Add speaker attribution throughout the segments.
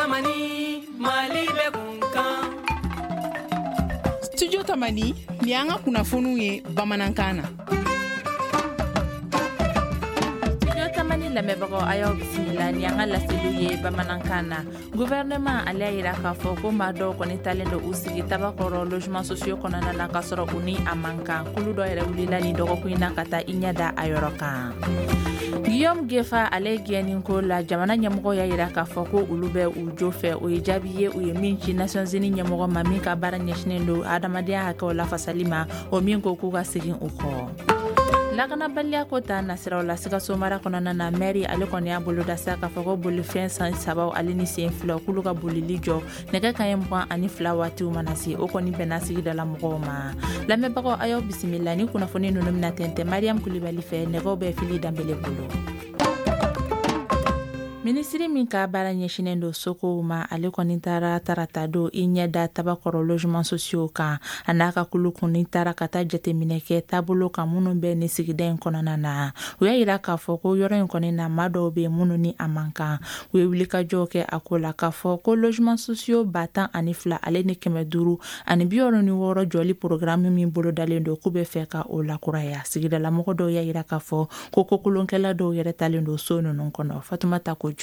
Speaker 1: Tamani, Mali bɛ kunkan.
Speaker 2: Studio Tamani, ni y'an ka kunnafoniw ye bamanankan na.
Speaker 3: Studio Tamani lamɛnbagaw, a y'aw bisimila ni an ka laseliw ye bamanankan na. Gouvernement ale y'a yira k'a fɔ ko maa dɔw kɔni talen don u sigi Tabakɔrɔ logement sociaux kɔnɔna na k'a sɔrɔ u ni a man kan. Kulu dɔ yɛrɛ wulila nin dɔgɔkun in na ka taa i ɲɛ da a yɔrɔ kan. Guillaume Gefa ale gɛnni ko la, jamana ɲɛmɔgɔ y'a yira k'a fɔ ko olu bɛ u jo fɛ. O ye jaabi ye u ye min ci Nations Unies ɲɛmɔgɔ ma min ka baara ɲɛsinen don adamadenya hakɛw lafasali ma, o min ko k'u ka segin u kɔ. Lakanabaliya ko ta nasiraw la, Sikaso mara kɔnɔna na, mɛri ale kɔni y'a boloda sa k'a fɔ ko bolifɛn san sabaw ale ni sen filaw k'olu ka bolili jɔ nɛgɛ kaɲɛ 22 waatiw mana se. O kɔni bɛnna sigidala mɔgɔw ma. Lamɛnbagaw, a y'aw bisimila ni kunnafoni ninnu bɛna tɛntɛn Mariam Kulibali fɛ, nɛgɛw bɛ Fili Danbele bolo. Minisiri min ka baara ɲɛsinen don sokow ma, ale kɔni taara tarata don i ɲɛ da Tabakɔrɔ logement sociaux kan. A n'a ka kulu kɔni taara ka taa jateminɛ kɛ taabolo kan minnu bɛ nin sigida in kɔnɔna na. U y'a yira k'a fɔ ko yɔrɔ in kɔni na, maa dɔw bɛ minnu ni a man kan. U ye wulikajɔw kɛ a ko la k'a fɔ ko logement sociaux 12 ale ni 566 jɔli programme min bolodalen don, k'u bɛ fɛ ka o lakuraya. Sigidalamɔgɔ dɔw y'a yira k'a fɔ ko kokolonkɛla dɔw yɛrɛ talen don so ninnu kɔnɔ. Fatumata Kojo.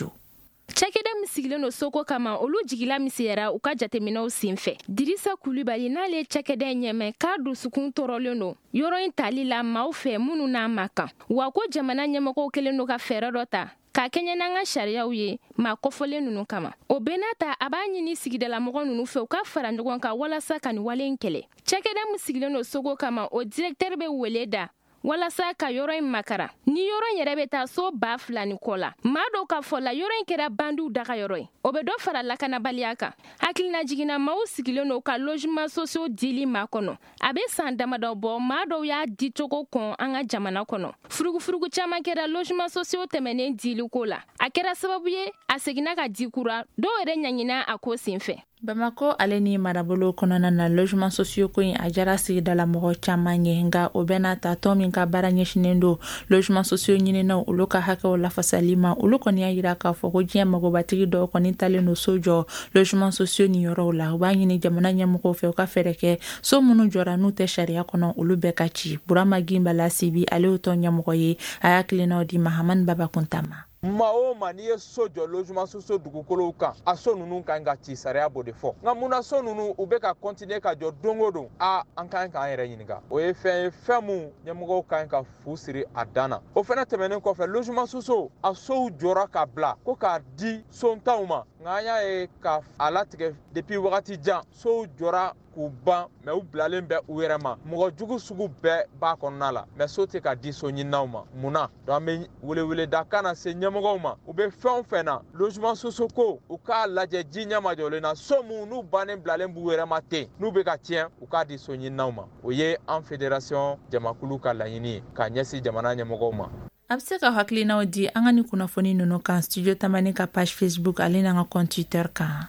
Speaker 4: Cakɛda min sigilen don soko kama, olu jigila misɛyara u ka jateminɛw sen fɛ. Dirisa Kulibali, n'ale ye cakɛda in ɲɛmɛ, k'a dusukun tɔɔrɔlen don yɔrɔ in tali la maaw fɛ minnu n'a ma kan, wa ko jamana ɲɛmɔgɔw kɛlen don ka fɛɛrɛ dɔ ta k'a kɛɲɛ n'an ka sariyaw ye maa kɔfɔlen ninnu kama. O bɛɛ n'a ta, a b'a ɲini sigidalamɔgɔ ninnu fɛ u ka fara ɲɔgɔn kan walasa ka nin wale in kɛlɛ. Cakɛda min sigilen don soko kama, o directeur bɛ wele da walasa ka yɔrɔ in makara. Ni yɔrɔ in yɛrɛ bɛ taa so 2000 ni kɔ la, maa dɔw ka fɔ la, yɔrɔ in kɛra bandiw daga yɔrɔ ye, o bɛ dɔ fara lakanabaliya kan. Hakilina jiginna, maaw sigilen don ka logement sociaux dili ma kɔnɔ a bɛ san damadɔ bɔ. Maa dɔw y'a dicogo kɔn an ka jamana kɔnɔ. Furugufurugu caman kɛra logement sociaux tɛmɛnen diliko la. A kɛra sababu ye a seginna ka di kura, dɔw yɛrɛ ɲangina a ko senfɛ.
Speaker 3: Bamako ale ni marabolo kɔnɔna na, logement sociaux ko in a jara sigidala mɔgɔ caman ye. Nka o bɛɛ n'a ta, tɔn min ka baara ɲɛsinen don logement sociaux ɲininaw olu ka hakɛw lafasali ma, olu kɔni y'a yira k'a fɔ ko diɲɛ magobatigi dɔw kɔni talen don so jɔ logement sociaux ni yɔrɔw la. U b'a ɲini jamana ɲɛmɔgɔw fɛ u ka fɛɛrɛ kɛ, so minnu jɔra n'u tɛ sariya kɔnɔ, olu bɛɛ ka ci. Burama Ginbala Sibi, ale y'o tɔn ɲɛmɔgɔ ye, a y'a tilennaw di Mahamani Baba Kunta ma.
Speaker 5: Maa o maa, n'i ye so jɔ logement sociaux dugukolow kan, a so ninnu kan ka ci, sariya b'o de fɔ. Nka munna so ninnu u bɛ ka continuer ka jɔ don o don? A an kan k'an yɛrɛ ɲininka. O ye fɛn ye, fɛn mun ɲɛmɔgɔw kan ka fu siri a dan na. O fɛnɛ tɛmɛnen kɔfɛ, logement sociaux a sow jɔra ka bila ko k'a di sontanw ma, nka an y'a ye ka a latigɛ depuis wagati jan, sow jɔra k'u ban, mɛ u bilalen bɛ u yɛrɛ ma, mɔgɔ jugu sugu bɛɛ b'a kɔnɔna la, mɛ so tɛ ka di so ɲininaw ma. Mun na? Donc an bɛ weleweleda kan na se ɲɛmɔgɔw ma, u bɛ fɛn o fɛn na, logement sociaux ko, u k'a lajɛ ji ɲɛmajɔlen na, so mun n'u bannen bilalen b'u yɛrɛ ma ten, n'u bɛ ka tiɲɛ, u k'a di so ɲininaw ma. O ye an fédération jamakulu ka laɲini ye k'a ɲɛsin jamana ɲɛmɔgɔw ma.
Speaker 3: A bɛ se ka hakilinaw di an ka ni kunnafoni ninnu kan Studio Tamani ka page Facebook ale n'an ka compte Twitter kan.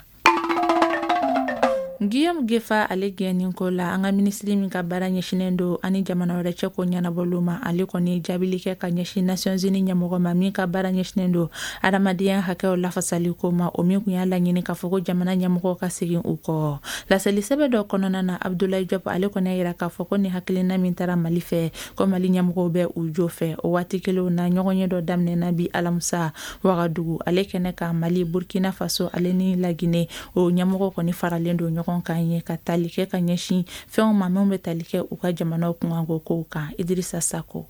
Speaker 3: Guillaume Gefa ale gɛnni ko la, an ka minisiri min ka baara ɲɛsinen don ani jamana wɛrɛ cɛ ko ɲɛnabɔliw ma, ale kɔni ye jaabili kɛ ka ɲɛsin Nations Unies ɲɛmɔgɔ ma min ka baara ɲɛsinen don adamadenya hakɛw lafasali ko ma, o min kun y'a laɲini k'a fɔ ko jamana ɲɛmɔgɔw ka segin u kɔ. Laseli sɛbɛn dɔ kɔnɔna na, Abdoulaye Diop ale kɔni y'a yira k'a fɔ ko ni hakilina min taara Mali fɛ, ko Mali ɲɛmɔgɔw bɛ u jo fɛ. O waati kelenw na, ɲɔgɔnye dɔ daminɛna bi alamisa Wagadugu ale kɛnɛ kan, Mali, Burkina Faso ale ni Lagine, o ɲɛmɔgɔ kɔni faralen don ɲɔgɔn kan ye ka tali kɛ ka ɲɛsin fɛnw ma minw bɛ tali kɛ u ka jamanaw kunkanko kow kan. Idrissa Sako.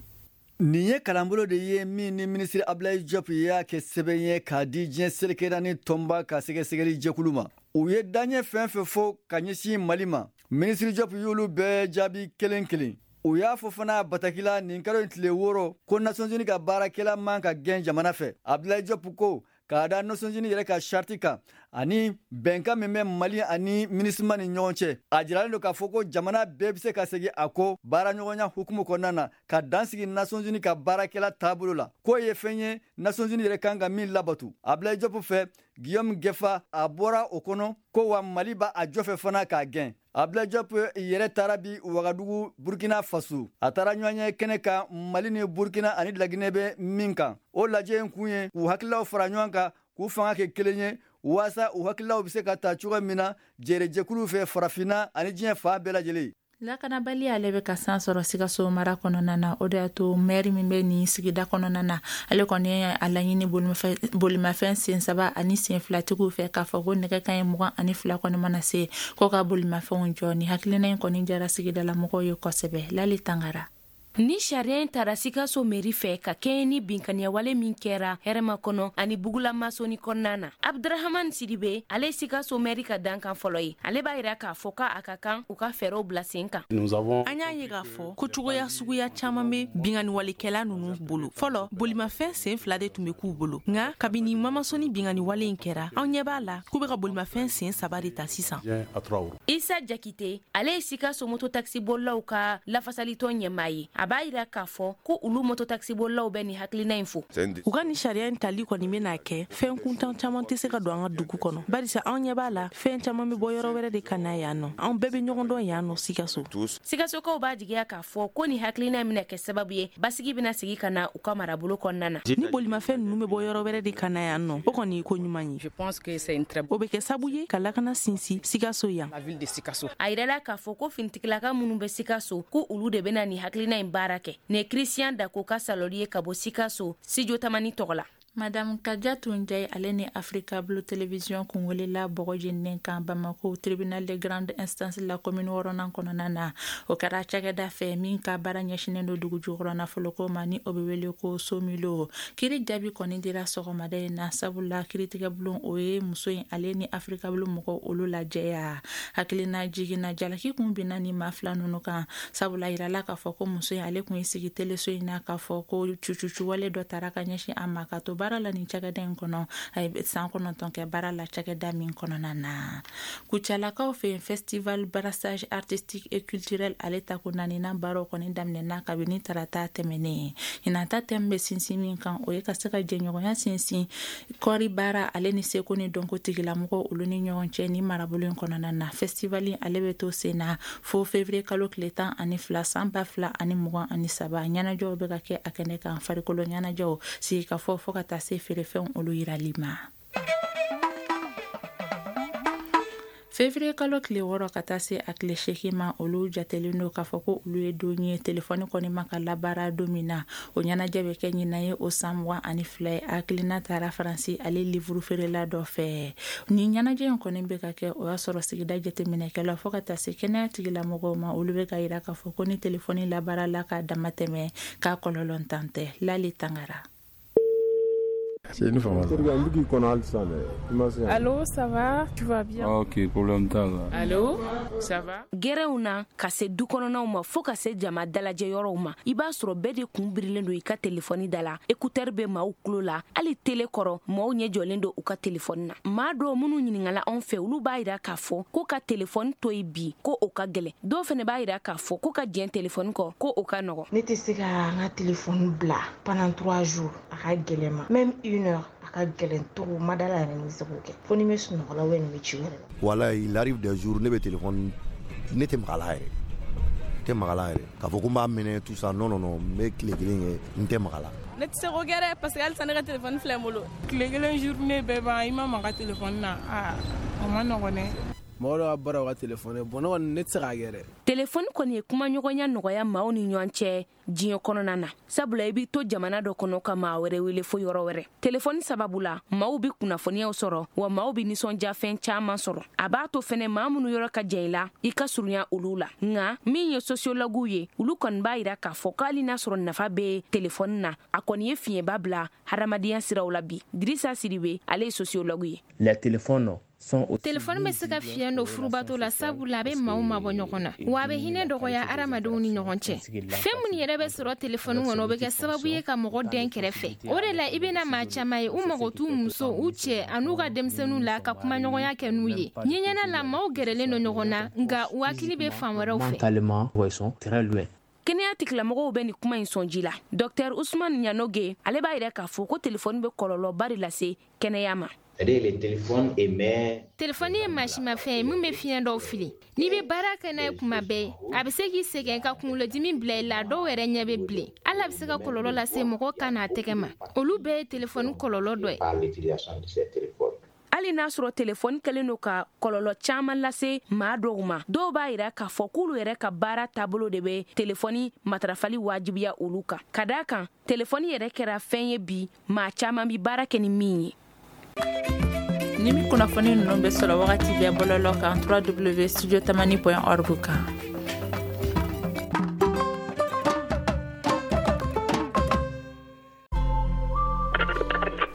Speaker 6: Nin ye kalanbolo de ye min ni minisiri Abdoulaye Diop y'a kɛ sɛbɛn ye k'a di diɲɛ seleke naani tɔnba ka sɛgɛsɛgɛli jɛkulu ma. U ye daɲɛ fɛn fɛn fɔ ka ɲɛsin Mali ma, minisiri Diop y'olu bɛɛ jaabi kelen kelen. U y'a fɔ fana bataki la nin kalo in tile 6 ko Nations Unies ka baarakɛla man ka gɛn jamana fɛ. Abdoulaye Diop ko k'a da Nations Unies yɛrɛ ka sariti kan ani bɛnkan min bɛ Mali ani MINUSMA ni ɲɔgɔn cɛ, a jiralen don k'a fɔ ko jamana bɛɛ bɛ se ka segin a kɔ baaraɲɔgɔnya hukumu kɔnɔna na ka dan sigi Nations Unies ka baarakɛla taabolo la, k'o ye fɛn ye Nations Unies yɛrɛ kan ka min labatu. Abdoulaye Diop fɛ, Guillaume Gefa a bɔra o kɔnɔ ko wa Mali b'a a jɔfɛ fana k'a gɛn. Abdoulaye Diop yɛrɛ taara bi Wagadugu, Burkina Faso. A taara ɲɔgɔnye kɛnɛ kan Mali ni Burkina ani Laginɛ bɛ min kan. O lajɛ in kun ye k'u hakililaw fara ɲɔgɔn kan, k'u fanga kɛ kelen ye. Waasa u hakililaw bɛ se ka ta cogo min na jɛrɛjɛkulu fɛ farafinna ani diɲɛ fan bɛɛ lajɛlen.
Speaker 3: Lakanabali ale bɛ ka san sɔrɔ Sikaso mara kɔnɔna na. O de y'a to mɛri min bɛ nin sigida kɔnɔna na, ale kɔni ye a laɲini bolimafɛn sen saba ani sen filatigiw fɛ k'a fɔ ko nɛgɛ kanɲɛ 22 kɔni mana se ko ka bolimafɛnw jɔ. Ni hakilina in kɔni jara sigidala mɔgɔw ye kosɛbɛ. Lali Tangara.
Speaker 7: Ni sariya in tara Sikaso meri fɛ ka kɛɲɛ ni binkaniyawale min kɛra hɛrɛma kɔnɔ ani Bugula Masoni kɔnɔna na. Abdurahaman Sidibe, ale ye Sikaso mɛri ka dankan fɔlɔ ye. Ale b'a yira k'a fɔ k'a ka kan u ka fɛɛrɛw bila sen kan.
Speaker 8: An y'a ye k'a fɔ ko cogoya suguya caman bɛ binkanniwalekɛla ninnu bolo. Fɔlɔ, bolimafɛn sen fila de tun bɛ k'u bolo. Nka kabini Mamasoni binkanniwale in kɛra, anw ɲɛ b'a la k'u bɛ ka bolimafɛn sen saba de ta sisan.
Speaker 7: Isa Jakite, ale ye Sikaso mototakisibolilaw ka lafasalitɔn ɲɛmaa ye. A b'a yira k'a fɔ ko olu mototakisibolilaw bɛ nin hakilina in fo.
Speaker 8: U ka nin sariya in tali kɔni bɛna kɛ fɛn kuntan caman tɛ se ka don an ka dugu kɔnɔ, barisa anw ɲɛ b'a la fɛn caman bɛ bɔ yɔrɔ wɛrɛ de ka na yan nɔ. Anw bɛɛ bɛ ɲɔgɔn dɔn yan nɔ Sikaso.
Speaker 7: Sikasokaw b'a jigiya k'a fɔ ko nin hakilina in bɛna kɛ sababu ye basigi bɛna sigi ka na u ka marabolo kɔnɔna na.
Speaker 8: Ni bolimafɛn ninnu bɛ bɔ yɔrɔ wɛrɛ de ka na yan nɔ, o kɔni ye ko ɲuman ye. O bɛ kɛ sababu ye ka lakana sinsin Sikaso yan.
Speaker 7: A yirala k'a fɔ ko finitigilaka minnu bɛ Sikaso ko olu de bɛna nin hakilina in baara kɛ. Nin ye Christian Dako ka salɔli ye ka bɔ Sikaso Studio Tamani tɔgɔ la.
Speaker 3: Madame Kadiatou Ndiaye ale ni Africa Blue Television kun welela bɔgɔ jeninen kan Bamako tribunal de grande instance la commune wɔɔrɔnan kɔnɔna na. O kɛra cakɛda fɛ min ka baara ɲɛsinnen don dugu jukɔrɔ nafoloko ma, ni o bɛ wele ko Somilo. Kiri jaabi kɔni dira sɔgɔmada in na, sabula kiritigɛbulon o ye muso in ale ni Africa Blue mɔgɔw olu lajɛya. Hakilina jiginna jalaki kun binna ni maa fila ninnu kan, sabula yirala k'a fɔ ko muso in ale kun ye sigi teleso in na k'a fɔ ko cucucuwale dɔ taara ka ɲɛsin a ma ka to baara la nin cakɛda in kɔnɔ. A ye san 9 kɛ baara la cakɛda min kɔnɔna na. Kucalakaw fɛ yen, festival brassage artistique et culturel ale tako naaninan baaraw kɔni daminɛna kabini tarata tɛmɛnen. Ɲinan ta thème bɛ sinsin min kan, o ye ka se ka jɛɲɔgɔnya sinsin kɔɔri baara ale ni seko ni dɔnko tigilamɔgɔw olu ni ɲɔgɔn cɛ ni marabolo in kɔnɔna na. Festival ale bɛ to sen na fo février kalo tile 12 san 2023. Ɲɛnajɛw bɛ ka kɛ a kɛnɛ kan, farikolo ɲɛnajɛw, sigikafɔ fo ka taa se feerefɛnw olu yirali ma. Février kalo tile 6 ka taa se a tile 8 ma, olu jatelen don k'a fɔ ko olu ye don ye telefɔni kɔni ma ka labaara don min na. O ɲɛnajɛ bɛ kɛ ɲinan ye o san 22 ye. Hakilina taara Faransi ale livre feerela dɔ fɛ. Ni ɲɛnajɛ in kɔni bɛ ka kɛ, o y'a sɔrɔ sigida jateminɛkɛla fo ka taa se kɛnɛya tigilamɔgɔw ma, olu bɛ ka yira k'a fɔ ko ni telefɔni labaara la k'a dama tɛmɛ k'a kɔlɔlɔ tan tɛ. Lali Tangara.
Speaker 9: C'est une formation.
Speaker 10: Allô, ça va? Tu vas bien?
Speaker 9: Ok, problème t'a la.
Speaker 10: Allô, ça va?
Speaker 7: Gɛrɛnw na ka se du kɔnɔnaw ma fo ka se jama dalajɛ yɔrɔw ma, i b'a sɔrɔ bɛɛ de kun birilen don i ka telefɔni da la. Écouteur bɛ maaw tulo la, hali télé kɔrɔ maaw ɲɛ jɔlen don u ka telefɔni na. Maa dɔw minnu ɲininkala anw fɛ, olu b'a yira k'a fɔ ko ka telefɔni to yen bi ko o ka gɛlɛn. Dɔw fana b'a yira k'a fɔ ko ka jɛn telefɔni kɔ ko o ka nɔgɔn.
Speaker 11: Ne tɛ se ka n ka telefɔni bila pendant 3 jours, a ka gɛlɛn ma. Même une heure, a ka gɛlɛn trop, ma da la yɛrɛ ni bɛ se k'o kɛ. Fo ni n bɛ sunɔgɔ la ou bien ni n bɛ ci wɛrɛ la.
Speaker 12: Voilà, il arrive des jours ne bɛ téléphone ne tɛ maga la yɛrɛ. Tɛ maga la yɛrɛ. K'a fɔ ko n b'a minɛ tout ça, non non non, n bɛ tile kelen kɛ n tɛ maga la.
Speaker 10: Ne tɛ se k'o kɛ dɛ, parce que halisa ne ka téléphone filɛ n bolo. Tile kelen journée bɛɛ ban i ma maga téléphone na, aa o ma nɔgɔn dɛ.
Speaker 13: Mɔgɔ dɔ ka baara o ka téléphone bon ne kɔni ne tɛ se k'a kɛ dɛ.
Speaker 7: Téléphone kɔni ye kumaɲɔgɔnya nɔgɔya maaw ni ɲɔgɔn cɛ diɲɛ kɔnɔna na, sabula i b'i to jamana dɔ kɔnɔ ka maa wɛrɛ wele fo yɔrɔ wɛrɛ. Telefɔni sababu la maaw bi kunnafoniyaw sɔrɔ, wa maaw bi nisɔndiyafɛn caman sɔrɔ. A b'a to fɛnɛ maa minnu yɔrɔ ka jan i la, i ka surunya olu la. Nka min ye sociologuw ye, olu kɔni b'a yira k'a fɔ k'ali n'a sɔrɔ nafa bɛ telefɔni na, a kɔni ye fiɲɛba bila hadamadenya siraw la bi. Dirisa Sidibe, ale ye sociologue ye.
Speaker 14: Les téléphones
Speaker 4: Telefɔni bɛ se ka fiɲɛ don furubato la, sabula a bɛ maaw mabɔ ɲɔgɔn na, wa a bɛ hinɛ dɔgɔya hadamadenw ni ɲɔgɔn cɛ. Fɛn minnu yɛrɛ bɛ sɔrɔ telefɔni kɔnɔ, o bɛ kɛ sababu ye ka mɔgɔ dɛn kɛrɛfɛ. O de la i bɛna maa caman ye, u mago t'u muso, u cɛ an'u ka denmisɛnninw la ka kumaɲɔgɔnya kɛ n'u ye. Ɲɛɲɛna la maaw gɛrɛlen don ɲɔgɔn na, nka u hakili bɛ fan wɛrɛw fɛ.
Speaker 7: Kɛnɛya tigilamɔgɔw bɛ nin kuma in sɔn ji la. Docteur Ousmane Ɲanoge, ale b'a yira k'a fɔ ko telefɔni bɛ kɔlɔlɔba de lase kɛnɛya ma.
Speaker 4: Telefɔni ye mansimafɛn ye min bɛ fiɲɛ dɔw fili. N'i bɛ baara kɛ n'a ye kuma bɛɛ, a bɛ se k'i sɛgɛn ka kunkolodimi bila i la, dɔw yɛrɛ ɲɛ bɛ bilen. Hali a bɛ se ka kɔlɔlɔ lase mɔgɔ kan n'a tɛgɛ ma. Olu bɛɛ ye telefɔni kɔlɔlɔ dɔ ye.
Speaker 7: Hali n'a sɔrɔ telefɔni kɛlen don ka kɔlɔlɔ caman lase maa dɔw ma, dɔw b'a yira k'a fɔ k'olu yɛrɛ ka baara taabolo de bɛ telefɔni matarafali wajibiya olu kan. Ka d'a kan, telefɔni yɛrɛ kɛra fɛn ye bi, maa caman bi baara kɛ ni min ye.
Speaker 3: Ni min kunnafoni ninnu bɛ sɔrɔ wagati bɛɛ bɔlɔlɔ kan www.studiotamani.org kan.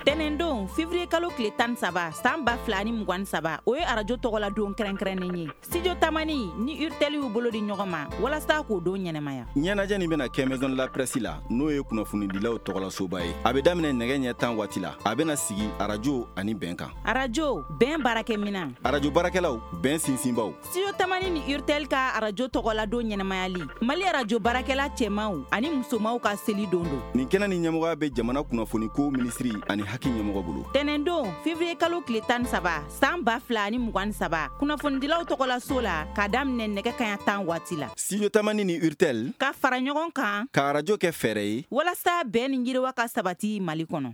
Speaker 14: Tɛnɛndon février kalo tile 13 san 2023, o ye arajo tɔgɔla don kɛrɛnkɛrɛnnen ye. Studio Tamani ni Urtel y'u bolo di ɲɔgɔn ma walasa k'o don ɲɛnamaya.
Speaker 15: Ɲɛnajɛ nin bɛna kɛ Maison de la Presse la, n'o ye kunnafonidilaw tɔgɔlasoba ye. A bɛ daminɛ nɛgɛ ɲɛ 10 waati la. A bɛna sigi arajo ani bɛn kan.
Speaker 14: Arajo bɛn baarakɛminɛn,
Speaker 15: arajo baarakɛlaw bɛn sinsinbaw.
Speaker 14: Studio Tamani ni Urtel ka arajo tɔgɔla don ɲɛnamayali, Mali arajo baarakɛla cɛmanw ani musomanw ka seli don don.
Speaker 15: Nin kɛnɛ ni ɲɛmɔgɔya bɛ jamana kunnafoniko minisiri ani haki ɲɛmɔgɔ bolo.
Speaker 14: Tɛnɛndon février kalo tile 13 san 2023, kunnafonidilaw tɔgɔla so la k'a daminɛ nɛgɛ kanɲɛ 10 waati la.
Speaker 15: Studio Tamani ni Urtel
Speaker 14: ka fara ɲɔgɔn kan
Speaker 15: ka arajo kɛ fɛɛrɛ ye
Speaker 14: walasa bɛn ni yiriwa ka sabati Mali kɔnɔ.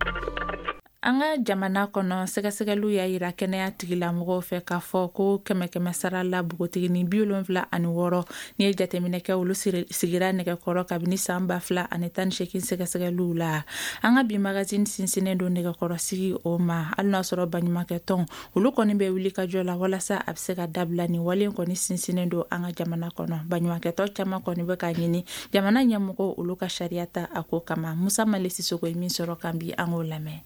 Speaker 3: An ka jamana kɔnɔ, sɛgɛsɛgɛliw y'a yira kɛnɛya tigilamɔgɔw fɛ k'a fɔ ko 100 sara la npogotiginin 76 n'i ye jateminɛ kɛ, olu sigira nɛgɛkɔrɔ kabini san 2018 sɛgɛsɛgɛliw la. An ka bi magazine sinsinnen don nɛgɛkɔrɔsigi o ma, hali n'a sɔrɔ baɲumankɛtɔn olu kɔni bɛ wuli ka jɔ la walasa a bɛ se ka dabila. Nin wale kɔni sinsinnen don an ka jamana kɔnɔ. Baɲumankɛtɔn caman kɔni bɛ k'a ɲini jamana ɲɛmɔgɔw olu ka sariya ta a ko kama. Musa Male Sisoko ye min sɔrɔ kan bi, an k'o lamɛn.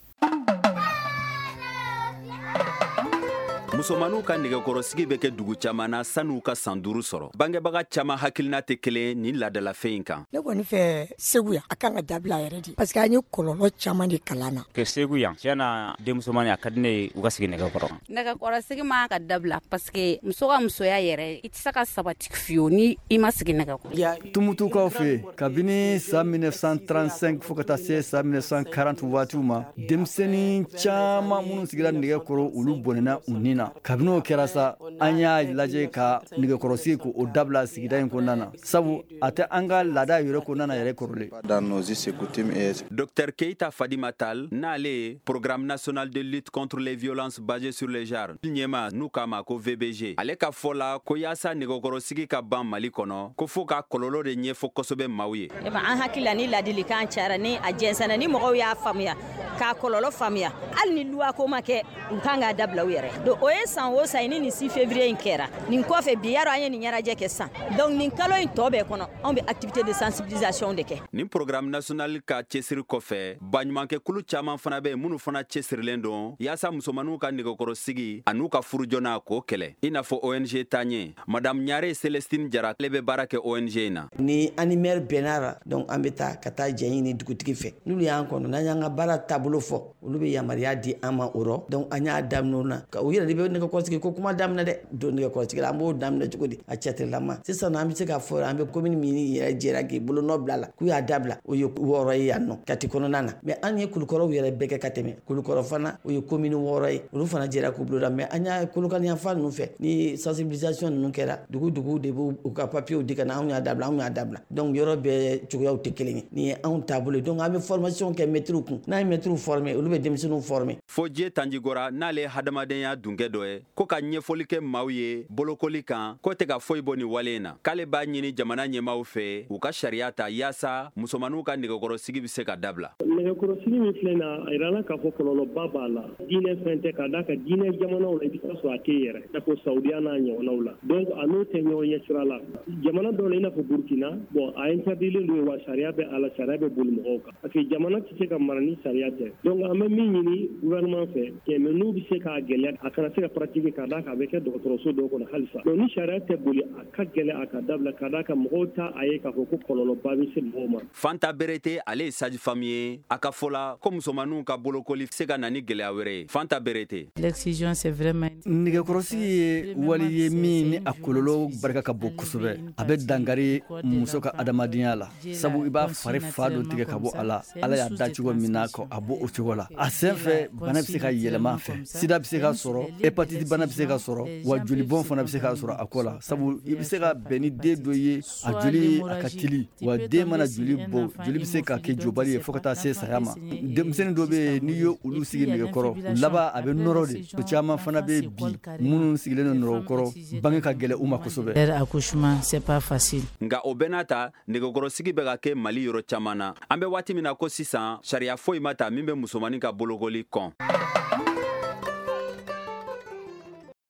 Speaker 16: Musomaninw ka nɛgɛkɔrɔsigi bɛ kɛ dugu caman na san'u ka san 5 sɔrɔ. Bangebaga caman hakilina tɛ kelen nin laadalafɛn in kan.
Speaker 17: Ne kɔni fɛ Segu yan, a kan ka dabila yɛrɛ de, parce que an ye kɔlɔlɔ caman de kalan na.
Speaker 18: Kɛ Segu yan, tiɲɛ na, denmusomani a ka di ne ye u ka sigi nɛgɛkɔrɔ.
Speaker 19: Nɛgɛkɔrɔsigi man ka dabila, parce que muso ka musoya yɛrɛ, i tɛ se ka sabati fiyewu ni i ma sigi nɛgɛkɔrɔ.
Speaker 6: Tumutukaw fɛ, kabini san 1935 fo ka taa se san 1940 waatiw ma, denmisɛnnin caman minnu sigira nɛgɛkɔrɔ, olu bɔnɛna u ni na. Kabini o kɛra sa, an y'a lajɛ ka nɛgɛkɔrɔsigi k'o dabila sigida in kɔnɔna na, sabu a tɛ an ka laada yɛrɛ kɔnɔna na yɛrɛ kɔrɔlen.
Speaker 16: Dr Keita Fadima Tal, n'ale ye Programme national de lutte contre les violences basées sur le genre ɲɛma, n'u k'a ma ko VBG, ale ka fɔ la ko yaasa nɛgɛkɔrɔsigi ka ban Mali kɔnɔ, ko fo ka kɔlɔlɔ de ɲɛfɔ kosɛbɛ maaw ye.
Speaker 20: An hakili la, ni ladilikan cayara, ni a jɛnsɛnna, ni mɔgɔw y'a faamuya k'a kɔlɔlɔ faamuya, hali ni loi ko ma kɛ, u kan k'a dabila u yɛrɛ. Donc o ye san o san ni nin 6 février in kɛra nin kɔfɛ, bi yarɔ an ye nin ɲɛnajɛ kɛ san, donc nin kalo in tɔ bɛɛ kɔnɔ, anw bɛ activité de sensibilisation de kɛ.
Speaker 16: Nin programme national ka cɛsiri kɔfɛ, baɲumankɛkulu caman fana bɛ minnu fana cɛsirilen don yaasa musomaninw ka nɛgɛkɔrɔsigi an'u ka furu joona k'o kɛlɛ, i n'a fɔ ONG Taaɲɛ. Madame Ɲare Celestine Jara, ale bɛ baara kɛ ONG in na.
Speaker 21: Ni an ni maire bɛnna la, donc an bɛ taa ka taa jɛ ɲini dugutigi fɛ. N'olu y'an kɔnɔ, n'an y'an ka baara taabolo fɔ, olu bɛ yamaruya di an ma o rɔ. Donc an y'a daminɛ o na, u yɛrɛ de bɛ nɛgɛkɔrɔsigi ko kuma daminɛ dɛ. Don nɛgɛkɔrɔsigi la, an b'o daminɛ cogo di? A cɛtirilama sisan an bɛ se k'a fɔ an bɛ commune min yɛrɛ jɛra k'i bolonɔ bila la k'u y'a dabila, o ye 6 ye yan nɔ Kati kɔnɔna na. Mais an ye Kulukɔrɔw yɛrɛ bɛɛ kɛ ka tɛmɛ. Kulukɔrɔ fana, o ye commune 6 ye, olu fana jɛra k'u bolo da. Mais an y'a Kolokani yanfan ninnu fɛ, ni sensibilisation ninnu kɛra, dugu de b'u ka papiers di ka na, anw y'a dabila, anw y'a dabila. Donc yɔrɔ bɛɛ cogoyaw tɛ kelen ye. Nin ye anw taabolo ye. Donc an bɛ formation kɛ mɛtiriw kun, n'an ye mɛtiriw former, olu bɛ denmisɛnninw former.
Speaker 16: Fo Dieu Tanjigora, n'ale ye hadamadenya dunkɛ dɔ ye, ko ka ɲɛfɔli kɛ maaw ye bolokoli kan, ko tɛ ka foyi bɔ nin wale in na. K'ale b'a ɲini jamana ɲɛmaaw fɛ u ka sariya ta yaasa musomaninw ka nɛgɛkɔrɔsigi bɛ se ka dabila.
Speaker 22: Nɛgɛkɔrɔsigi min filɛ na, a yirala k'a fɔ kɔlɔlɔba b'a la. Diinɛ fɛn tɛ, k'a d'a kan diinɛ jamanaw la, i bɛ taa sɔrɔ a tɛ yɛrɛ, i n'a fɔ Saudiya n'a ɲɔgɔnnaw la. Donc a n'o tɛ ɲɔgɔn ɲɛ sira la. Jamana dɔw la, i n'a fɔ Burkina, bon a interdilen don, wa sariya bɛ a la, sariya bɛ boli mɔgɔw kan, parce que jamana tɛ se ka mara ni sariya tɛ. Donc an bɛ min ɲini gouvernement fɛ, mais n'u bɛ se k'a gɛlɛya, a kana se ka pratiquer, k'a d'a kan a bɛ kɛ dɔgɔtɔrɔso dɔw kɔnɔ halisa. Donc ni sariya tɛ boli, a ka gɛlɛn a ka dabila, k'a d'a kan mɔgɔw t'a a ye k'a fɔ ko kɔlɔlɔba bɛ se mɔgɔw ma.
Speaker 16: Fanta Berete, ale ye sage femme ye. A ka fɔ la ko musomaninw ka bolokoli se ka na ni gɛlɛya wɛrɛ ye. Fanta Berete.
Speaker 1: L'excision, c'est vraiment
Speaker 6: nɛgɛkɔrɔsigi ye wali ye min ni a kɔlɔlɔ barika ka bon kosɛbɛ. A bɛ dankari muso ka adamadenya la, sabu i b'a fari fa dɔ tigɛ ka bɔ a la. Ala y'a da cogo min na, ka a bɔ o cogo la. A sen fɛ, bana bɛ se ka yɛlɛma a fɛ, sida bɛ se ka sɔrɔ, hépatite bana bɛ se ka sɔrɔ, wa jolibɔn fana bɛ se ka sɔrɔ a ko la, sabu i bɛ se ka bɛn ni den dɔ ye, a joli a ka teli, wa den mana joli bɔ, joli bɛ se ka kɛ jobali ye fo ka taa se se saya ma. Denmisɛnnin dɔ bɛ yen, n'i ye olu sigi nɛgɛkɔrɔ laban, a bɛ nɔrɔ de. O caman fana bɛ bi minnu sigilen don nɛgɛkɔrɔ, bange ka gɛlɛn u ma kosɛbɛ.
Speaker 16: Nka o bɛɛ n'a ta, nɛgɛkɔrɔsigi bɛ ka kɛ Mali yɔrɔ caman na. An bɛ waati min na ko sisan, sariya foyi ma ta min bɛ musomannin ka bolokoli kɔn.